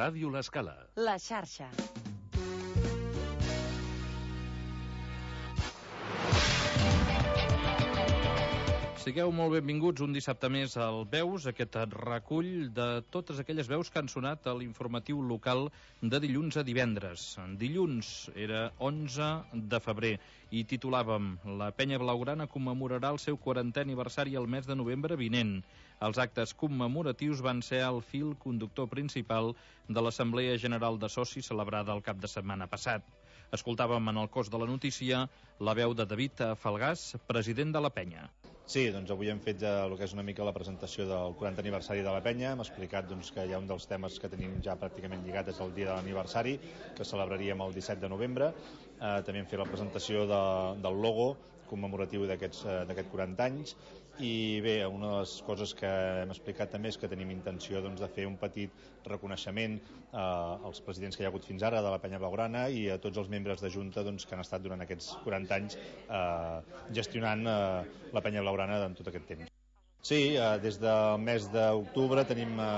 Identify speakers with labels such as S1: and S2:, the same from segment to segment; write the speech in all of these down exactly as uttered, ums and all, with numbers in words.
S1: Ràdio L'Escala.
S2: La xarxa.
S3: Sigueu molt benvinguts un dissabte més al Veus, aquest recull de totes aquelles veus que han sonat a l'informatiu local de dilluns a divendres. Dilluns era onze de febrer i titulàvem La Penya Blaugrana commemorarà el seu quarantè aniversari el mes de novembre vinent. Els actes commemoratius van ser el fil conductor principal de l'Assemblea General de Socis celebrada el cap de setmana passat. Escoltàvem en el cos de la notícia la veu de David Falgàs, president de la Penya.
S4: Sí, doncs avui hem fet ja el que és una mica la presentació del quarantè aniversari de la Penya. Hem explicat doncs, que hi ha un dels temes que tenim ja pràcticament lligat, és el dia de l'aniversari, que celebraríem el disset de novembre. Eh, també hem fet la presentació de, del logo commemoratiu d'aquest quaranta anys. I bé, una de les coses que hem explicat també és que tenim intenció doncs, de fer un petit reconeixement eh, als presidents que hi ha hagut fins ara de la Penya Blaugrana i a tots els membres de Junta doncs, que han estat durant aquests quaranta anys eh, gestionant eh, la Penya Blaugrana en tot aquest temps. Sí, eh, des del mes d'octubre tenim eh,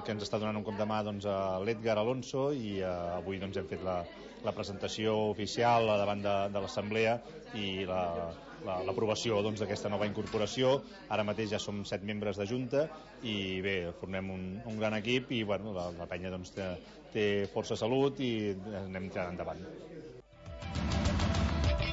S4: que ens està donant un cop de mà doncs, a l'Edgar Alonso i eh, avui doncs, hem fet la, la presentació oficial davant de, de l'Assemblea i la, la, l'aprovació doncs, d'aquesta nova incorporació. Ara mateix ja som set membres de Junta i bé, formem un, un gran equip i bueno, la, la penya doncs, té, té força salut i anem tirant endavant.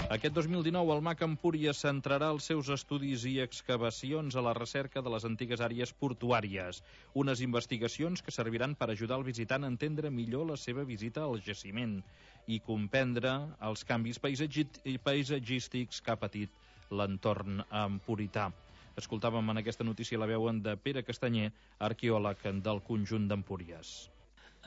S3: Aquest dos mil dinou el M A C Empúries centrarà els seus estudis i excavacions a la recerca de les antigues àrees portuàries, unes investigacions que serviran per ajudar el visitant a entendre millor la seva visita al jaciment i comprendre els canvis paisatgístics que ha patit l'entorn empurità. Escoltàvem en aquesta notícia la veu de Pere Castanyer, arqueòleg del conjunt d'Empúries.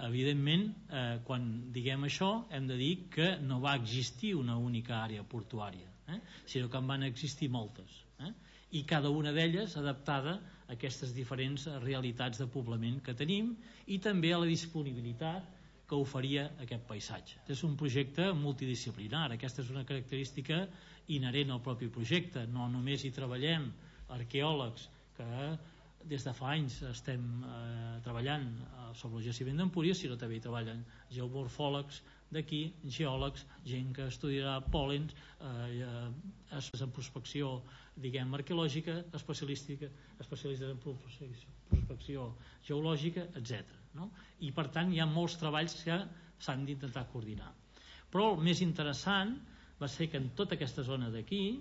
S5: Evidentment, eh, quan diguem això, hem de dir que no va existir una única àrea portuària, eh? sinó que en van existir moltes, eh? i cada una d'elles adaptada a aquestes diferents realitats de poblament que tenim i també a la disponibilitat que oferia aquest paisatge. És un projecte multidisciplinar, aquesta és una característica inherent al propi projecte, no només hi treballem arqueòlegs que des de fa anys estem eh, treballant eh, sobre el jaciment d'Empúries, sinó també hi treballen geomorfòlegs d'aquí, geòlegs, gent que estudiarà pòlens, eh, eh, en prospecció diguem arqueològica, especialística, especialistes en prospecció geològica, etcètera. No? I per tant hi ha molts treballs que s'han d'intentar coordinar. Però el més interessant va ser que en tota aquesta zona d'aquí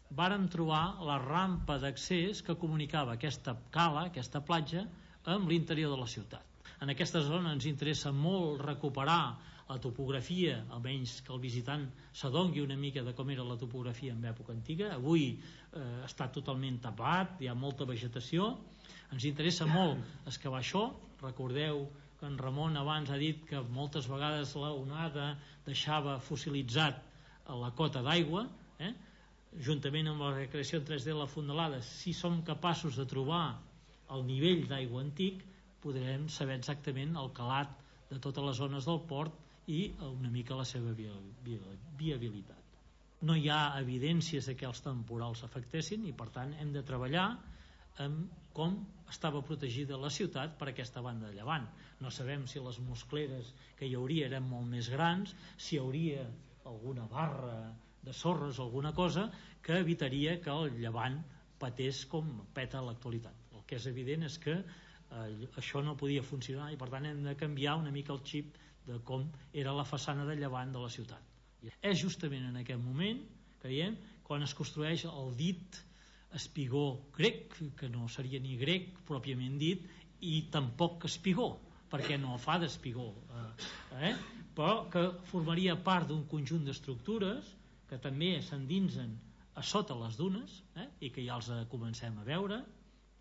S5: vàrem trobar la rampa d'accés que comunicava aquesta cala, aquesta platja, amb l'interior de la ciutat. En aquesta zona ens interessa molt recuperar la topografia, almenys que el visitant s'adongui una mica de com era la topografia en època antiga. Avui eh, està totalment tapat, hi ha molta vegetació. Ens interessa molt excavar això. Recordeu que en Ramon abans ha dit que moltes vegades la onada deixava fossilitzat a la cota d'aigua, eh? juntament amb la recreació en tres D de la fondalada. Si som capaços de trobar el nivell d'aigua antic, podrem saber exactament el calat de totes les zones del port i una mica la seva viabilitat. No hi ha evidències de que els temporals afectessin i per tant hem de treballar amb com estava protegida la ciutat per aquesta banda de llevant. No sabem si les moscleres que hi hauria eren molt més grans, si hi hauria alguna barra de sorres o alguna cosa que evitaria que el llevant patés com peta a l'actualitat. El que és evident és que eh, això no podia funcionar i per tant hem de canviar una mica el xip de com era la façana de llevant de la ciutat. I és justament en aquest moment que diem, quan es construeix el dit espigó grec, que no seria ni grec pròpiament dit i tampoc espigó, perquè no fa d'espigó, eh? però que formaria part d'un conjunt d'estructures que també s'endinsen a sota les dunes, eh? i que ja els comencem a veure,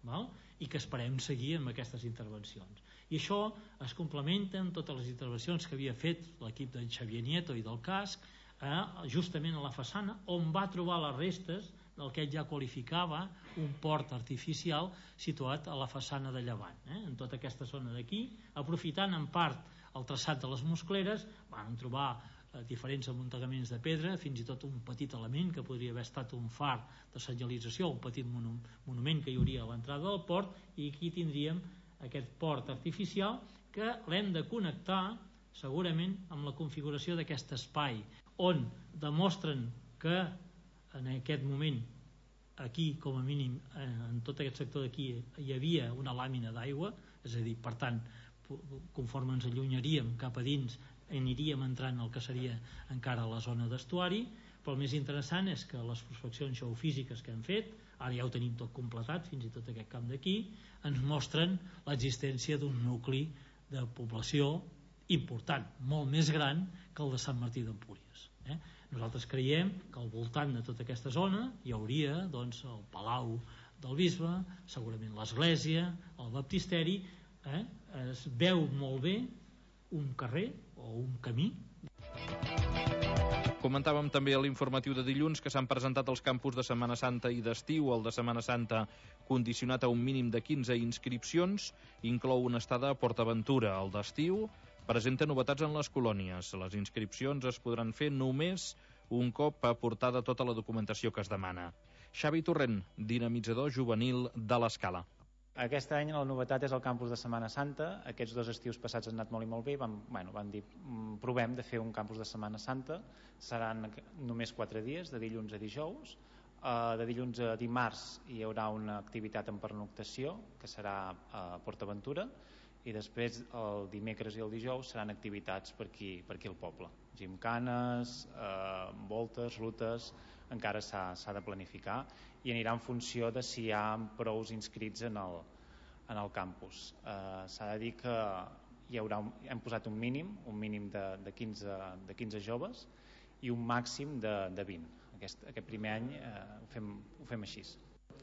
S5: val? I que esperem seguir amb aquestes intervencions. I això es complementa amb totes les intervencions que havia fet l'equip d'en Xavier Nieto i del casc, eh? justament a la façana, on va trobar les restes del que ell ja qualificava un port artificial situat a la façana de llevant, eh? en tota aquesta zona d'aquí, aprofitant en part el traçat de les moscleres, van trobar eh, diferents amuntegaments de pedra, fins i tot un petit element que podria haver estat un far de senyalització, un petit monument que hi hauria a l'entrada del port, i aquí tindríem aquest port artificial que l'hem de connectar segurament amb la configuració d'aquest espai, on demostren que en aquest moment aquí, com a mínim, en tot aquest sector d'aquí hi havia una làmina d'aigua, és a dir, per tant, conforme ens allunyaríem cap a dins aniríem entrant al que seria encara la zona d'estuari, però el més interessant és que les prospeccions geofísiques que hem fet, ara ja ho tenim tot completat, fins i tot aquest camp d'aquí, ens mostren l'existència d'un nucli de població important, molt més gran que el de Sant Martí d'Empúries. Eh? Nosaltres creiem que al voltant de tota aquesta zona hi hauria doncs, el Palau del Bisbe, segurament l'església, el baptisteri, eh? Es veu molt bé un carrer o un camí.
S3: Comentàvem també a l'informatiu de dilluns que s'han presentat els campus de Setmana Santa i d'estiu. El de Setmana Santa, condicionat a un mínim de quinze inscripcions, inclou una estada a PortAventura. El d'estiu presenta novetats en les colònies. Les inscripcions es podran fer només un cop aportada tota la documentació que es demana. Xavi Torrent, dinamitzador juvenil de l'Escala.
S1: Aquest any la novetat és el campus de Setmana Santa. Aquests dos estius passats han anat molt i molt bé. Vam, bueno, vam dir, provem de fer un campus de Setmana Santa. Seran només quatre dies, de dilluns a dijous. De dilluns a dimarts hi haurà una activitat en pernoctació, que serà a PortAventura, i després el dimecres i el dijous seran activitats per aquí, per aquí al poble. Gimcanes, eh, voltes, rutes, encara s'ha de planificar i anirà en funció de si hi ha prous inscrits en el, en el campus. Eh, s'ha de dir que hi haurà un, hem posat un mínim, un mínim de, de, quinze, de quinze joves i un màxim de, de vint. Aquest, aquest primer any eh, ho, fem, ho fem així.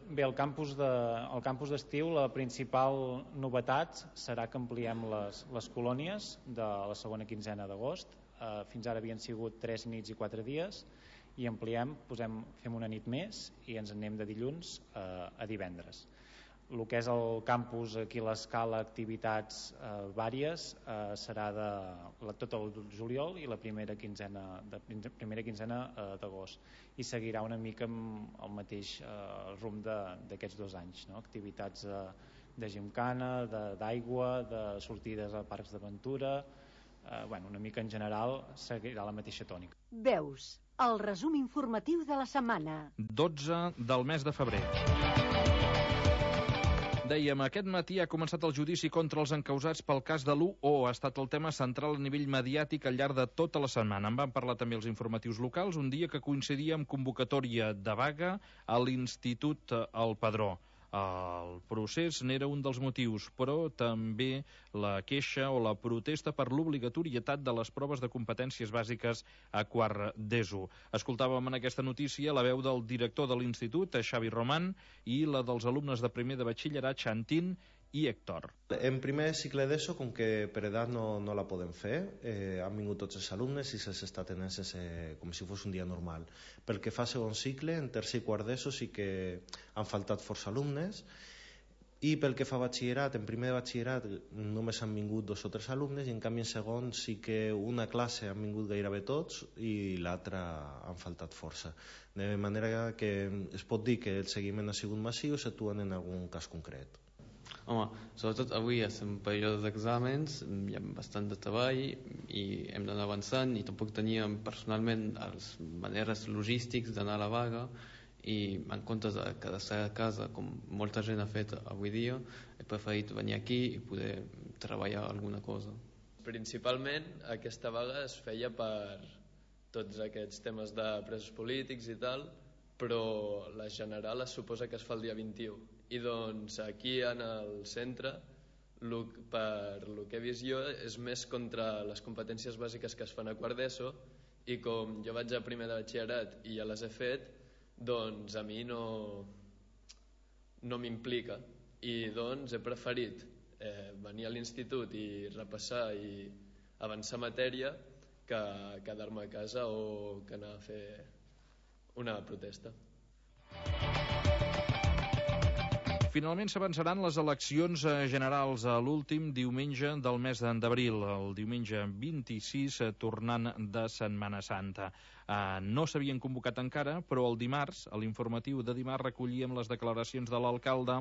S1: Bé, el campus de, el campus d'estiu, la principal novetat serà que ampliem les, les colònies de la segona quinzena d'agost. Eh, fins ara havien sigut tres nits i quatre dies i ampliem, posem, fem una nit més i ens anem de dilluns eh, a divendres. El que és el campus aquí a l'Escala, activitats eh, vàries, eh, serà de la, tot el juliol i la primera quinzena de, primera quinzena eh, d'agost, i seguirà una mica amb el mateix eh, rumb d'aquests dos anys, no? Activitats de, de gimcana, d'aigua, de, de sortides a parcs d'aventura, eh, bueno, una mica en general seguirà la mateixa tònica.
S2: Veus, el resum informatiu de la setmana.
S3: dotze del mes de febrer. Dèiem, aquest matí ha començat el judici contra els encausats pel cas de l'u o. Ha estat el tema central a nivell mediàtic al llarg de tota la setmana. En van parlar també els informatius locals, un dia que coincidia amb convocatòria de vaga a l'Institut El Padró. El procés n'era un dels motius, però també la queixa o la protesta per l'obligatorietat de les proves de competències bàsiques a quart d'ESO. Escoltàvem en aquesta notícia la veu del director de l'Institut, Xavi Roman, i la dels alumnes de primer de batxillerat, Xantín i Héctor.
S6: En primer cicle d'ESO, com que per edat no, no la podem fer, eh, han vingut tots els alumnes i se'ls està tenint sense, com si fos un dia normal. Pel que fa a segon cicle, en tercer i quart d'ESO sí que han faltat força alumnes, i pel que fa a batxillerat, en primer de batxillerat només han vingut dos o tres alumnes, i en canvi en segon sí que una classe han vingut gairebé tots i l'altra han faltat força. De manera que es pot dir que el seguiment ha sigut massiu, s'actuen en algun cas concret.
S7: Home, sobretot avui estem en període d'exàmens, hi ha bastant de treball i hem d'anar avançant, i tampoc teníem personalment les maneres logístics d'anar a la vaga, i en comptes de quedar-se a casa com molta gent ha fet avui dia, he preferit venir aquí i poder treballar alguna cosa.
S8: Principalment aquesta vaga es feia per tots aquests temes de presos polítics i tal, però la general es suposa que es fa el dia vint-i-u, i doncs aquí en el centre, per lo que he vist jo, és més contra les competències bàsiques que es fan a quart d'ESO, i com jo vaig a primer de batxillerat i ja les he fet, doncs a mi no, no m'implica, i doncs he preferit eh, venir a l'institut i repassar i avançar matèria que quedar-me a casa o que anar a fer una protesta.
S3: Finalment s'avançaran les eleccions generals a l'últim diumenge del mes d'abril, el diumenge vint-i-sis, tornant de Setmana Santa. Eh, no s'havien convocat encara, però el dimarts, a l'informatiu de dimarts, recollíem les declaracions de l'alcalde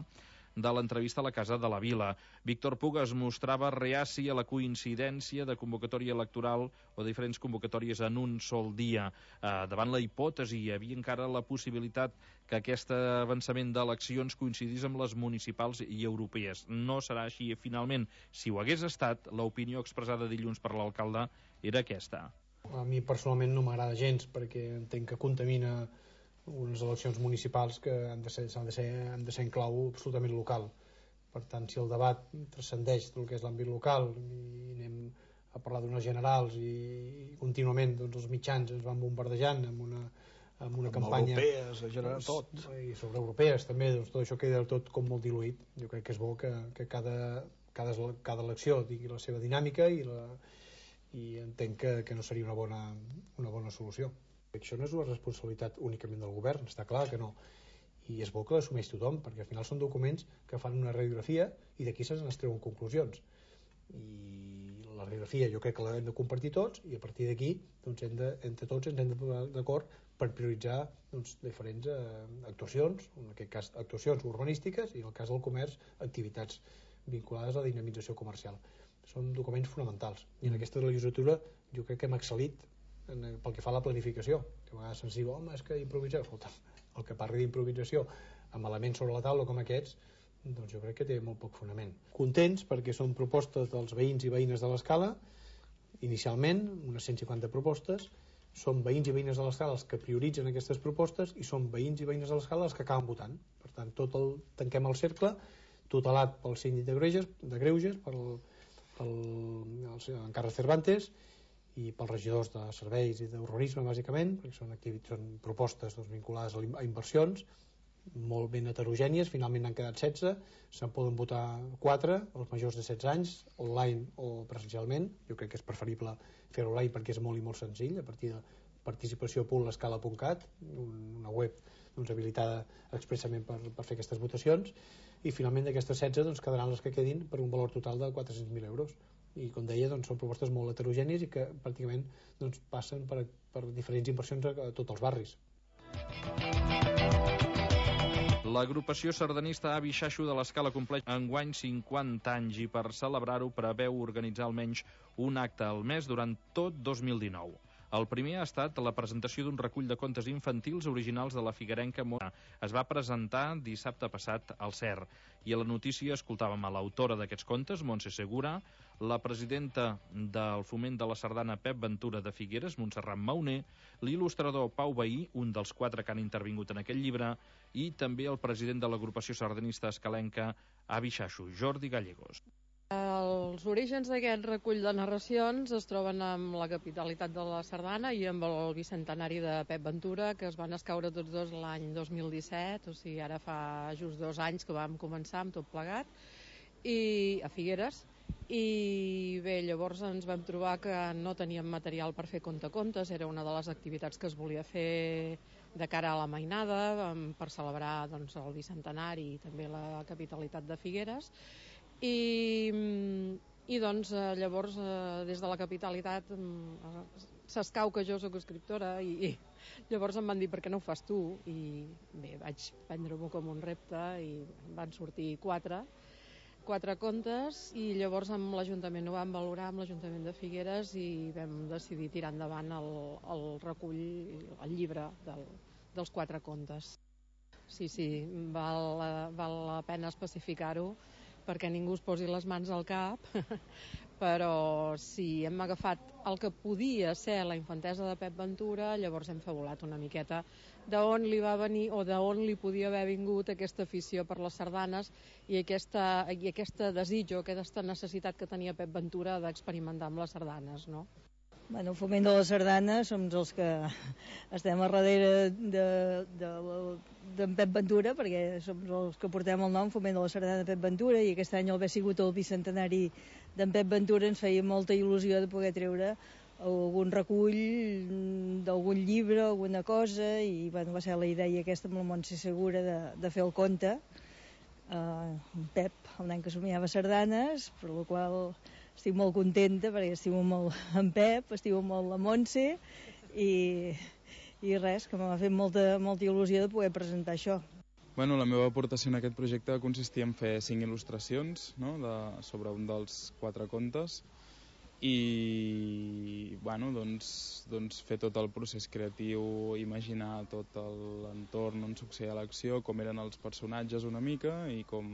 S3: de l'entrevista a la Casa de la Vila. Víctor Puga es mostrava reaci a la coincidència de convocatòria electoral o diferents convocatòries en un sol dia. Eh, davant la hipòtesi, hi havia encara la possibilitat que aquest avançament d'eleccions coincidís amb les municipals i europees. No serà així finalment. Si ho hagués estat, l'opinió expressada dilluns per l'alcalde era aquesta.
S9: A mi personalment no m'agrada gens perquè entenc que contamina unes eleccions municipals que han de ser, han de ser, han de ser en clau absolutament local. Per tant, si el debat transcendeix del que és l'àmbit local i anem a parlar d'unes generals i contínuament doncs, els mitjans ens van bombardejant amb una, amb una amb campanya
S10: europees, general, tot.
S9: I sobre europees també, doncs, tot això queda tot com molt diluït. Jo crec que és bo que, que cada, cada, cada elecció tingui la seva dinàmica i la i entenc que, que no seria una bona, una bona solució. Això no és una responsabilitat únicament del govern, està clar que no. I és bo que l'assumeix tothom, perquè al final són documents que fan una radiografia i d'aquí se'n treuen conclusions. I la radiografia jo crec que l'hem de compartir tots i a partir d'aquí doncs, hem de, entre tots ens hem de posar d'acord per prioritzar doncs, diferents eh, actuacions, en aquest cas actuacions urbanístiques i en el cas del comerç activitats vinculades a la dinamització comercial. Són documents fonamentals i en aquesta legislatura jo crec que hem excel·lit en, pel que fa a la planificació, que a vegades se'ns diu home, és que improvisar, escolta, el que parli d'improvisació amb elements sobre la taula com aquests, doncs jo crec que té molt poc fonament. Contents perquè són propostes dels veïns i veïnes de l'Escala, inicialment unes cent cinquanta propostes, són veïns i veïnes de l'Escala els que prioritzen aquestes propostes i són veïns i veïnes de l'Escala els que acaben votant. Per tant, tot el, tanquem el cercle tutelat pel síndic de Greuges, de Greuges pel pel en Carles Cervantes i pels regidors de serveis i d'urbanisme bàsicament, perquè són, són propostes doncs, vinculades a inversions molt ben heterogènies, finalment n'han quedat setze, se'n poden votar quatre, els majors de setze anys, online o presencialment. Jo crec que és preferible fer online perquè és molt i molt senzill, a partir de participació punt l'escala punt cat, una web doncs, habilitada expressament per, per fer aquestes votacions, i finalment d'aquestes setze doncs, quedaran les que quedin per un valor total de quatre-cents mil euros. I com deia, doncs, són propostes molt heterogènies i que pràcticament doncs, passen per, per diferents inversions a, a tots els barris.
S3: L'agrupació sardanista Avi Xaxo de l'Escala compleix enguany cinquanta anys i per celebrar-ho preveu organitzar almenys un acte al mes durant tot dos mil dinou. El primer ha estat la presentació d'un recull de contes infantils originals de la figuerenca Mona. Es va presentar dissabte passat al C E R. I a la notícia escoltàvem a l'autora d'aquests contes, Montse Segura, la presidenta del Foment de la Sardana Pep Ventura de Figueres, Montserrat Mauner, l'il·lustrador Pau Bahí, un dels quatre que han intervingut en aquest llibre, i també el president de l'agrupació sardanista escalenca Avi Xaxo, Jordi Gallegos.
S11: Els orígens d'aquest recull de narracions es troben amb la capitalitat de la Sardana i amb el bicentenari de Pep Ventura, que es van escaure tots dos l'any dos mil disset, o sigui, ara fa just dos anys que vam començar amb tot plegat, i a Figueres. I bé, llavors ens vam trobar que no teníem material per fer contacontes, era una de les activitats que es volia fer de cara a la mainada, per celebrar doncs, el bicentenari i també la capitalitat de Figueres. I, i doncs llavors des de la capitalitat s'escau que jo soc escriptora i, i llavors em van dir per què no ho fas tu, i bé, vaig prendre-m'ho com un repte i van sortir quatre quatre contes i llavors amb l'Ajuntament ho vam valorar amb l'Ajuntament de Figueres i vam decidir tirar endavant el, el recull, el llibre del, dels quatre contes. Sí, sí, val, val la pena especificar-ho perquè ningú es posi les mans al cap, però sí, hem agafat el que podia ser la infantesa de Pep Ventura, llavors hem fabulat una miqueta d'on li va venir o d'on li podia haver vingut aquesta afició per les sardanes i aquesta, i aquesta desitjo, aquesta necessitat que tenia Pep Ventura d'experimentar amb les sardanes, no?
S12: Bueno, el Foment de la Sardana som els que estem a darrere de, de, d'en Pep Ventura, perquè som els que portem el nom Foment de la Sardana Pep Ventura, i aquest any al haver sigut el bicentenari d'en Pep Ventura ens feia molta il·lusió de poder treure algun recull d'algun llibre, alguna cosa, i bueno, va ser la idea aquesta amb la Montse Segura de, de fer el conte. Uh, Pep, el nen que somiava sardanes, per la qual estic molt contenta perquè estimo molt en Pep, estimo molt la Montse i, i res, que m'ha fet molta, molta il·lusió de poder presentar això.
S10: Bueno, la meva aportació en aquest projecte consistia en fer cinc il·lustracions, no?, de, sobre un dels quatre contes i bueno, doncs, doncs fer tot el procés creatiu, imaginar tot l'entorn on succeïa l'acció, com eren els personatges una mica i com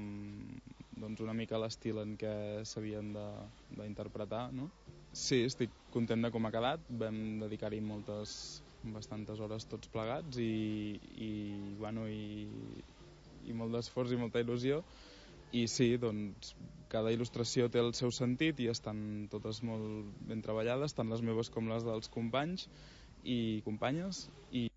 S10: doncs, una mica l'estil en què s'havien d'interpretar, no? Sí, estic content de com ha quedat, vam dedicar-hi moltes, bastantes hores tots plegats i, i, bueno, i, i molt d'esforç i molta il·lusió. I sí, doncs, cada il·lustració té el seu sentit i estan totes molt ben treballades, tant les meves com les dels companys i companyes. I...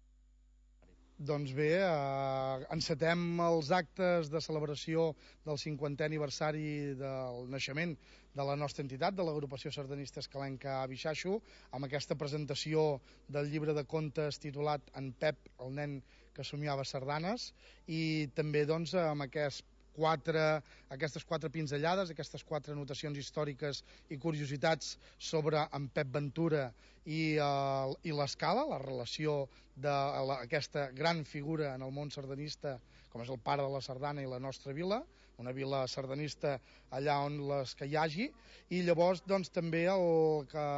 S13: Doncs bé, eh, encetem els actes de celebració del cinquantè aniversari del naixement de la nostra entitat, de l'agrupació sardanista escalenca Bixaixo, amb aquesta presentació del llibre de contes titulat En Pep, el nen que somiava sardanes, i també doncs, amb aquest Quatre, aquestes quatre pinzellades, aquestes quatre anotacions històriques i curiositats sobre en Pep Ventura i, uh, i l'escala, la relació d'aquesta gran figura en el món sardanista, com és el pare de la sardana i la nostra vila, una vila sardanista allà on les que hi hagi, i llavors doncs, també el que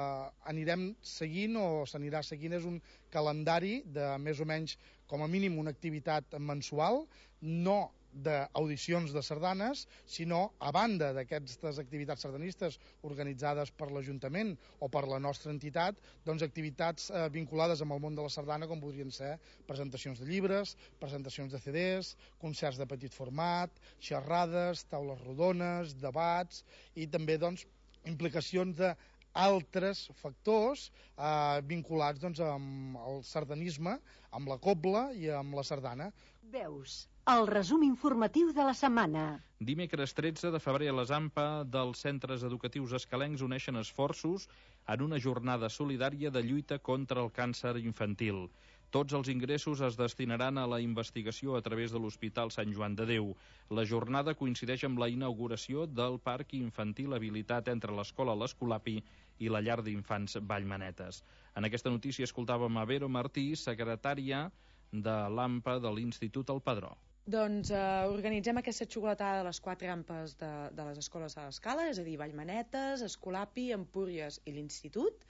S13: anirem seguint o s'anirà seguint és un calendari de més o menys com a mínim una activitat mensual, no d'audicions de sardanes, sinó a banda d'aquestes activitats sardanistes organitzades per l'Ajuntament o per la nostra entitat, doncs activitats eh, vinculades amb el món de la sardana, com podrien ser presentacions de llibres, presentacions de ce des, concerts de petit format, xerrades, taules rodones, debats i també doncs, implicacions de altres factors eh, vinculats doncs, amb el sardanisme, amb la cobla i amb la sardana.
S2: Veus, el resum informatiu de la setmana.
S3: Dimecres tretze de febrer a les AMPA dels centres educatius escalencs uneixen esforços en una jornada solidària de lluita contra el càncer infantil. Tots els ingressos es destinaran a la investigació a través de l'Hospital Sant Joan de Déu. La jornada coincideix amb la inauguració del parc infantil habilitat entre l'escola L'Escolapi i la llar d'infants Vallmanetes. En aquesta notícia escoltàvem a Vero Martí, secretària de l'AMPA de l'Institut El Padró.
S14: Doncs eh, organitzem aquesta xocolatada de les quatre ampes de, de les escoles de l'escala, és a dir, Vallmanetes, Escolapi, Empúries i l'Institut.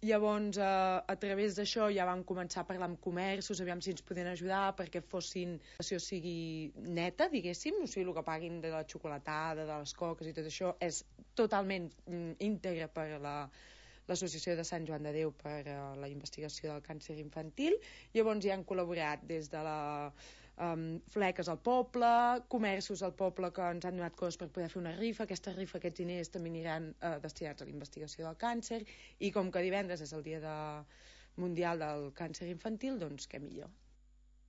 S14: Llavors, eh, a través d'això ja vam començar a parlar amb comerços, aviam si ens podien ajudar perquè fossin, si o sigui neta, diguéssim, o sigui, el que paguin de la xocolatada, de les coques i tot això és totalment mm, íntegre per la l'Associació de Sant Joan de Déu per a la investigació del càncer infantil. Llavors ja han col·laborat des de la um, fleques al poble, comerços al poble que ens han donat coses per poder fer una rifa. Aquesta rifa, aquests diners també aniran uh, destinats a la investigació del càncer, i com que divendres és el dia de... mundial del càncer infantil, doncs què millor.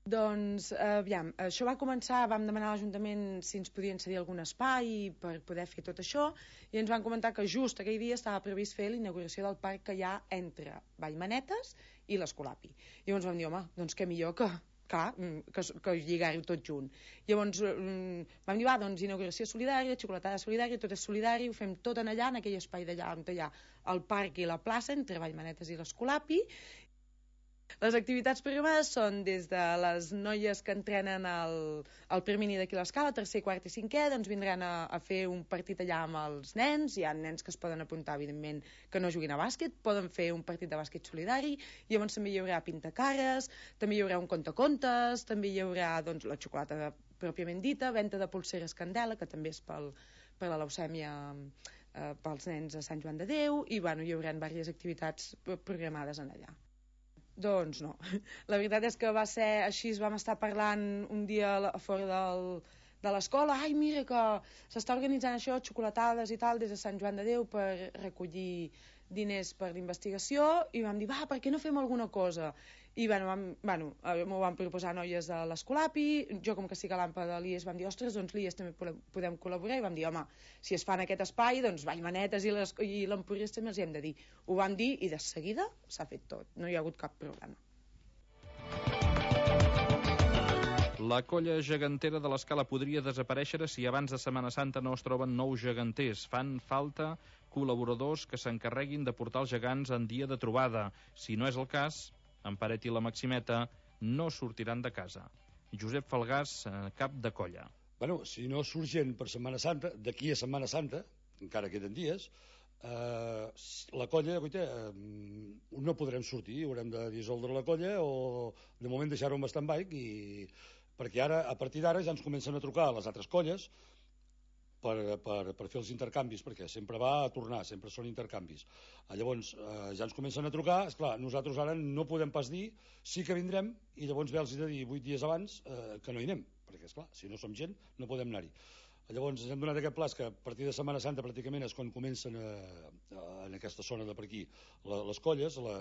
S14: Doncs, eh, aviam, això va començar, vam demanar a l'Ajuntament si ens podien cedir algun espai per poder fer tot això, i ens van comentar que just aquell dia estava previst fer l'inauguració del parc que hi ha entre Vallmanetes i l'Escolapi. I llavors vam dir, home, doncs què millor que, clar, que, que lligar-ho tot junt. Llavors vam dir, va, doncs inauguració solidària, xocolatada solidària, tot és solidari, ho fem tot en allà, en aquell espai d'allà on hi ha el parc i la plaça entre Vallmanetes i l'Escolapi. Les activitats programades són des de les noies que entrenen al, al Permini d'aquí a l'Escala, tercer, quart i cinquè, doncs vindran a, a fer un partit allà amb els nens. Hi ha nens que es poden apuntar, evidentment, que no juguin a bàsquet, poden fer un partit de bàsquet solidari, i llavors també hi haurà pintacares, també hi haurà un contacontes, també hi haurà doncs, la xocolata pròpiament dita, venda de pulseres Candela, que també és pel, per la leucèmia eh, pels nens a Sant Joan de Déu, i bueno, hi haurà diverses activitats programades en allà. Doncs no, la veritat és que va ser així, vam estar parlant un dia a fora del, de l'escola, ai mira que s'està organitzant això, xocolatades i tal, des de Sant Joan de Déu per recollir diners per l'investigació, i vam dir, va, per què no fem alguna cosa? I bueno, vam, bueno, m'ho van proposar noies de l'Escolapi, jo com que estic a l'AMPA de l'I E S vam dir, ostres, doncs l'I E S també podem col·laborar, i vam dir, home, si es fa en aquest espai, doncs Vallmanetes i l'Empúries també els hi hem de dir. Ho vam dir i de seguida s'ha fet tot, no hi ha hagut cap problema.
S3: La colla gegantera de l'Escala podria desaparèixer si abans de Setmana Santa no es troben nous geganters. Fan falta col·laboradors que s'encarreguin de portar els gegants en dia de trobada. Si no és el cas, en Paret i la Maximeta no sortiran de casa. Josep Falgàs, cap de colla.
S15: Bueno, si no surt gent per Setmana Santa, d'aquí a Setmana Santa, encara queden dies, eh, la colla, guaita, eh, no podrem sortir, haurem de dissoldre la colla o de moment deixar-ho en stand-by, i perquè ara, a partir d'ara, ja ens comencen a trucar a les altres colles per, per, per fer els intercanvis, perquè sempre va a tornar, sempre són intercanvis. Llavors, eh, ja ens comencen a trucar, esclar, nosaltres ara no podem pas dir, sí que vindrem, i llavors ve els de dir vuit dies abans eh, que no hi anem, perquè, esclar, si no som gent, no podem anar-hi. Llavors, ens hem donat aquest pla que a partir de Setmana Santa pràcticament és quan comencen a, a, en aquesta zona de per aquí la, les colles, la,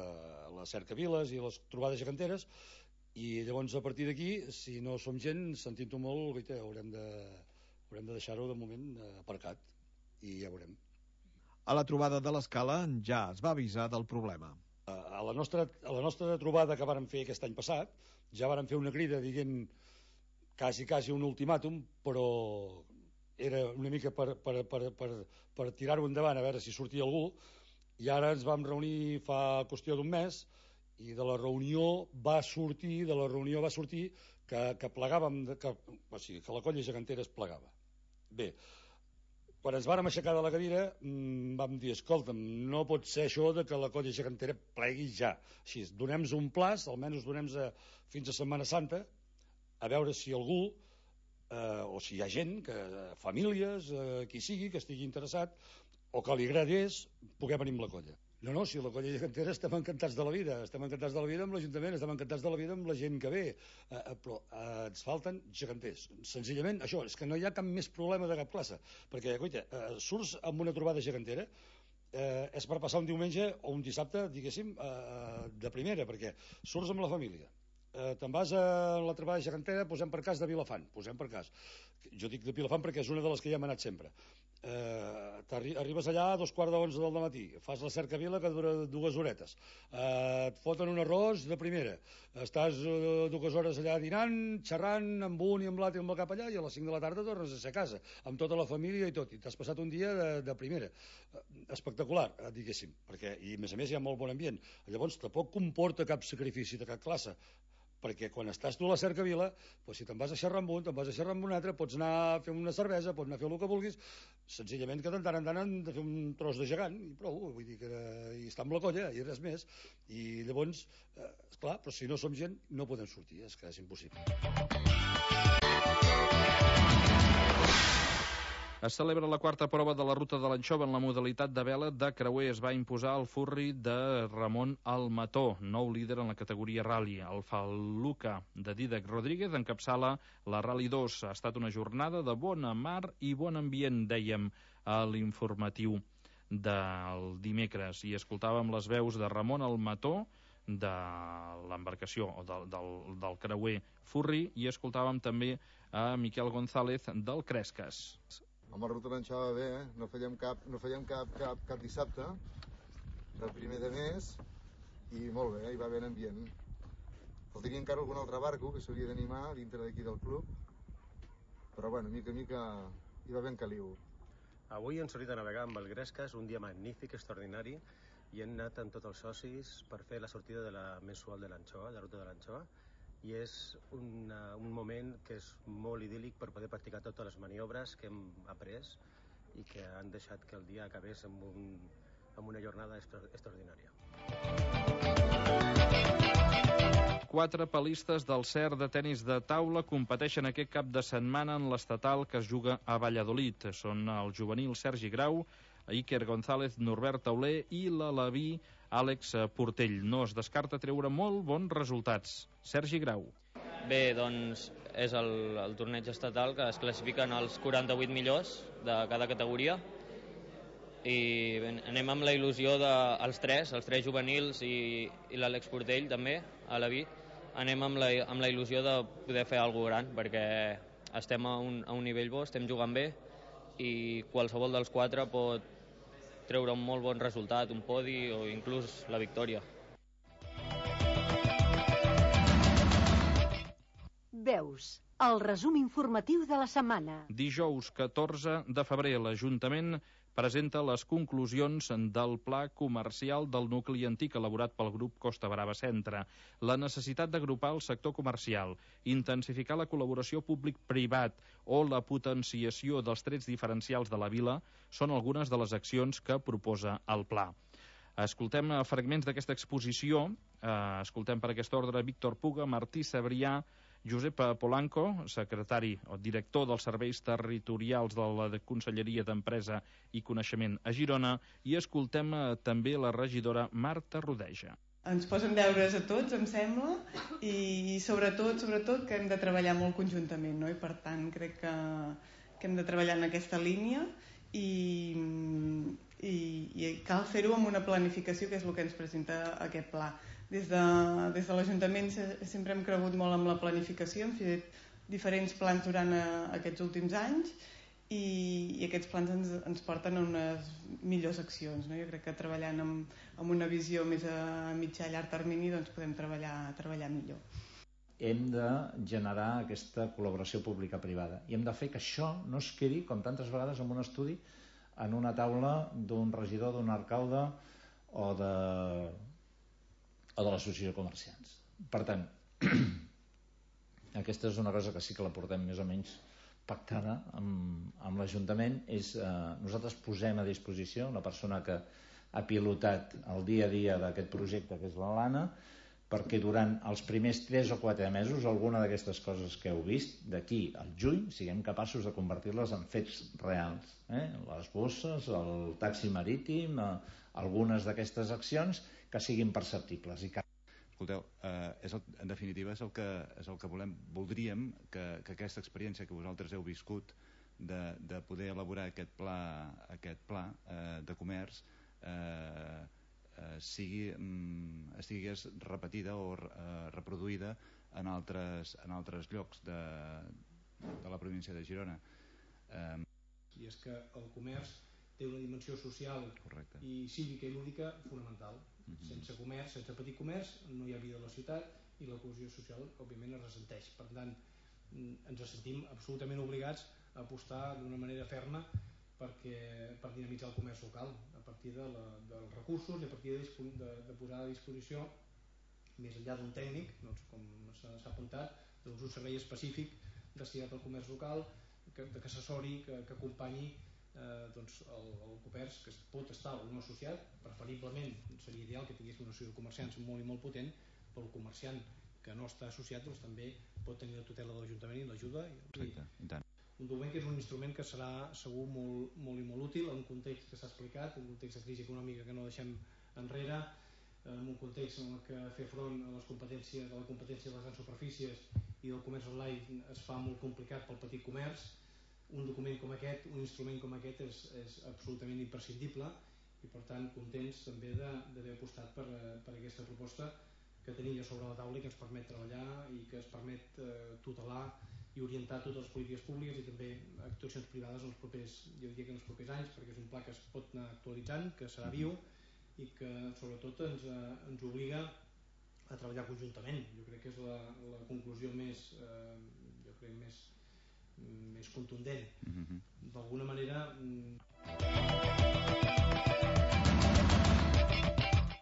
S15: les cercaviles i les trobades geganteres, i llavors a partir d'aquí, si no som gent, sentint-ho molt, guaita, haurem de, haurem de deixar-ho de moment aparcat, i ja veurem.
S16: A la trobada de l'Escala ja es va avisar del problema.
S15: A la nostra, a la nostra trobada que vàrem fer aquest any passat, ja vàrem fer una crida dient quasi, quasi un ultimàtum, però era una mica per, per, per, per, per tirar-ho endavant, a veure si sortia algú, i ara ens vam reunir fa qüestió d'un mes, i de la reunió va sortir, de la reunió va sortir que, que plegàvem, que, o sigui, que la colla gegantera es plegava. Bé, quan ens vàrem aixecar de la cadira, mmm, vam dir, escolta'm, no pot ser això de que la colla gegantera plegui ja. Així, donem-nos un plaç, almenys donem-nos a, fins a Setmana Santa, a veure si algú, eh, o si hi ha gent, que, famílies, eh, qui sigui, que estigui interessat, o que li agradés, poder venir amb la colla. No, no, si la colla gegantera estem encantats de la vida, estem encantats de la vida amb l'Ajuntament, estem encantats de la vida amb la gent que ve, eh, però eh, ens falten geganters. Senzillament, això, és que no hi ha cap més problema de cap classe, perquè, coita, eh, surts amb una trobada gegantera, eh, és per passar un diumenge o un dissabte, diguéssim, eh, de primera, perquè surts amb la família. Eh, te'n vas a la trobada gegantera, posem per cas de Vilafant, posem per cas. Jo dic de Vilafant perquè és una de les que ja hem anat sempre. Eh, arribes allà a dos quarts d'onze del matí, fas la cercavila que dura dues horetes, eh, et foten un arròs de primera, estàs eh, dues hores allà dinant, xerrant amb un i amb l'altre i amb el cap allà, i a les cinc de la tarda tornes a ser a casa, amb tota la família i tot, i t'has passat un dia de, de primera. Eh, espectacular, eh, diguéssim, perquè, i a més a més hi ha molt bon ambient. Llavors tampoc comporta cap sacrifici de cap classe, perquè quan estàs tu a la cercavila, doncs si te'n vas a xerrar amb un, te'n vas a xerrar amb un altre, pots anar a fer una cervesa, pots anar a fer el que vulguis, senzillament que de tant en tant han de fer un tros de gegant, i prou, vull dir que i està amb la colla, i res més, i llavors, eh, esclar, però si no som gent, no podem sortir, és que és impossible.
S3: Es celebra la quarta prova de la ruta de l'Anxova en la modalitat de vela de creuer. Es va imposar el furri de Ramon Almató, nou líder en la categoria rally. El Faluca de Dídac Rodríguez encapçala la Rally dos. Ha estat una jornada de bona mar i bon ambient, dèiem a l'informatiu del dimecres. I escoltàvem les veus de Ramon Almató, de l'embarcació o del, del, del creuer furri, i escoltàvem també a Miquel González del Cresques.
S17: Amb la ruta de l'Anxova bé, eh? no fèiem, cap, no fèiem cap, cap, cap dissabte, el primer de mes, i molt bé, hi va haver ambient. Faltaria encara algun altre barco que s'hauria d'animar dintre d'aquí del club, però bueno, mica a mica hi va ben caliu.
S18: Avui hem sortit a navegar amb el Cresques, un dia magnífic, extraordinari, i hem anat amb tots els socis per fer la sortida de la mensual de l'Anxova, la ruta de l'Anxova, i és una, un moment que és molt idíl·lic per poder practicar totes les maniobres que hem après i que han deixat que el dia acabés amb, un, amb una jornada extra, extraordinària.
S3: Quatre palistes del C E R de tenis de taula competeixen aquest cap de setmana en l'estatal que es juga a Valladolid. Són el juvenil Sergi Grau, Iker González, Norbert Tauler i l'alaví Àlex Portell. No es descarta treure molt bons resultats. Sergi Grau.
S19: Bé, doncs és el, el torneig estatal que es classifiquen els quaranta-vuit millors de cada categoria i bé, anem amb la il·lusió dels de, tres, els tres juvenils i, i l'Àlex Portell també, alaví, anem amb la, amb la il·lusió de poder fer alguna gran perquè estem a un, a un nivell bo, estem jugant bé i qualsevol dels quatre pot treure un molt bon resultat, un podi o inclús la victòria.
S2: Veus, el resum informatiu de la setmana.
S3: Dijous catorze de febrer, l'Ajuntament presenta les conclusions del Pla Comercial del nucli antic elaborat pel grup Costa Brava Centre. La necessitat d'agrupar el sector comercial, intensificar la col·laboració públic-privat o la potenciació dels trets diferencials de la vila són algunes de les accions que proposa el pla. Escoltem fragments d'aquesta exposició. Eh, escoltem per aquest ordre Víctor Puga, Martí Sabrià, Josep Polanco, secretari o director dels serveis territorials de la Conselleria d'Empresa i Coneixement a Girona, i escoltem eh, també la regidora Marta Rodeja.
S20: Ens posen deures a tots, em sembla, i sobretot, sobretot que hem de treballar molt conjuntament, no? I per tant crec que, que hem de treballar en aquesta línia i, i, i cal fer-ho amb una planificació, que és el que ens presenta aquest pla. Des de, des de l'Ajuntament sempre hem cregut molt amb la planificació, hem fet diferents plans durant aquests últims anys i, i aquests plans ens, ens porten a unes millors accions, no? Jo crec que treballant amb, amb una visió més a mitjà i llarg termini doncs podem treballar, treballar millor.
S21: Hem de generar aquesta col·laboració pública-privada i hem de fer que això no es quedi, com tantes vegades, en un estudi, en una taula d'un regidor, d'un alcalde o de... o de l'associació de comerciants. Per tant, aquesta és una cosa que sí que la portem més o menys pactada amb, amb l'Ajuntament. És, eh, nosaltres posem a disposició una persona que ha pilotat el dia a dia d'aquest projecte, que és l'Alana, perquè durant els primers tres o quatre mesos alguna d'aquestes coses que heu vist d'aquí al juny siguem capaços de convertir-les en fets reals, eh? Les bosses, el taxi marítim, eh, algunes d'aquestes accions que siguin perceptibles. I que...
S22: Escolteu, eh, és el, en definitiva és el que, és el que volem, voldríem que, que aquesta experiència que vosaltres heu viscut de, de poder elaborar aquest pla, aquest pla eh, de comerç eh, eh, sigui, mm, estigués repetida o eh, reproduïda en altres, en altres llocs de, de la província de Girona. Eh,
S9: I és que el comerç té una dimensió social
S22: Correcte.
S9: I cívica i lúdica fonamental.
S22: Mm-hmm.
S9: Sense comerç, sense petit comerç, no hi ha vida a la ciutat i la cohesió social, òbviament, es ressenteix. Per tant, ens sentim absolutament obligats a apostar d'una manera ferma perquè, per dinamitzar el comerç local a partir de la, dels recursos i a partir de, de, de posar a disposició, més enllà d'un tècnic, doncs, com s'ha apuntat, doncs un servei específic destinat al comerç local, que, que assessori, que, que acompanyi Eh, doncs el, el comerç, que pot estar o no associat. Preferiblement seria ideal que tingués una associació de comerciants molt i molt potent, però el comerciant que no està associat doncs, també pot tenir la tutela de l'Ajuntament i l'ajuda. Un document que és un instrument que serà segur molt, molt i molt útil en un context que s'ha explicat, en un context de crisi econòmica que no deixem enrere, en un context en què fer front a les competències, a la competència de les grans superfícies i del comerç online es fa molt complicat pel petit comerç. Un document com aquest, un instrument com aquest és, és absolutament imprescindible i per tant contents també d'haver apostat per, per aquesta proposta que tenim ja sobre la taula i que ens permet treballar i que ens permet eh, tutelar i orientar totes les polítiques públiques i també actuacions privades en els propers, jo diria que en els propers anys, perquè és un pla que es pot anar actualitzant, que serà viu i que sobretot ens, eh, ens obliga a treballar conjuntament. Jo crec que és la, la conclusió més, eh, jo crec més més contundent. Mm-hmm. D'alguna manera...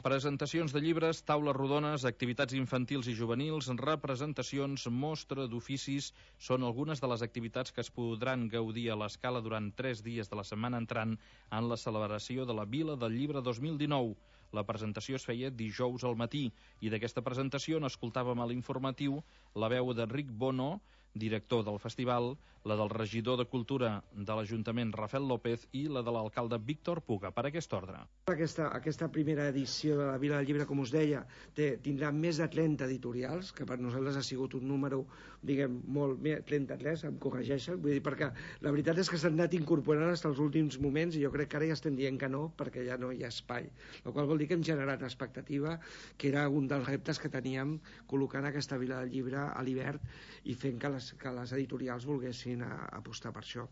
S3: Presentacions de llibres, taules rodones, activitats infantils i juvenils, representacions, mostra d'oficis són algunes de les activitats que es podran gaudir a l'Escala durant tres dies de la setmana entrant en la celebració de la Vila del Llibre dos mil dinou. La presentació es feia dijous al matí i d'aquesta presentació n'escoltàvem a l'informatiu la veu d'Enric Bono, director del festival, la del regidor de Cultura de l'Ajuntament, Rafael López, i la de l'alcalde Víctor Puga, per aquest ordre.
S23: Aquesta, aquesta primera edició de la Vila del Llibre, com us deia, té, tindrà més de trenta editorials, que per nosaltres ha sigut un número, diguem, molt més, trenta-tres, em corregeixen, vull dir, perquè la veritat és que s'han anat incorporant fins als últims moments i jo crec que ara ja estem dient que no, perquè ja no hi ha espai. La qual vol dir que hem generat expectativa, que era un dels reptes que teníem col·locant aquesta Vila del Llibre a l'hivern i fent que les les, que les editorials volguessin a, apostar per això.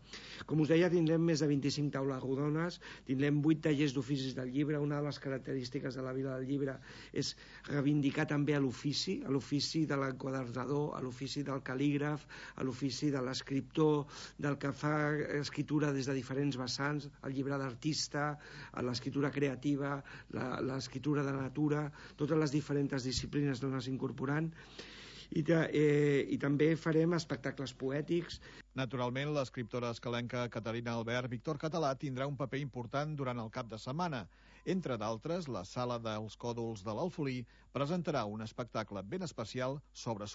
S23: Com us deia, tindrem més de vint-i-cinc taules rodones, tindrem vuit tallers d'oficis del llibre. Una de les característiques de la Vila del Llibre és reivindicar també a l'ofici, a l'ofici de l'enquadernador, a l'ofici del cal·lígraf, a l'ofici de l'escriptor, del que fa escriptura des de diferents vessants, el llibre d'artista, l'escriptura creativa, l'escriptura de natura, totes les diferents disciplines on les incorporant. I, de, eh, i també farem espectacles poètics.
S16: Naturalment, l'escriptora escalenca Caterina Albert Víctor Català tindrà un paper important durant el cap de setmana. Entre d'altres, la Sala dels Còdols de l'Alfolí presentarà un espectacle ben especial sobre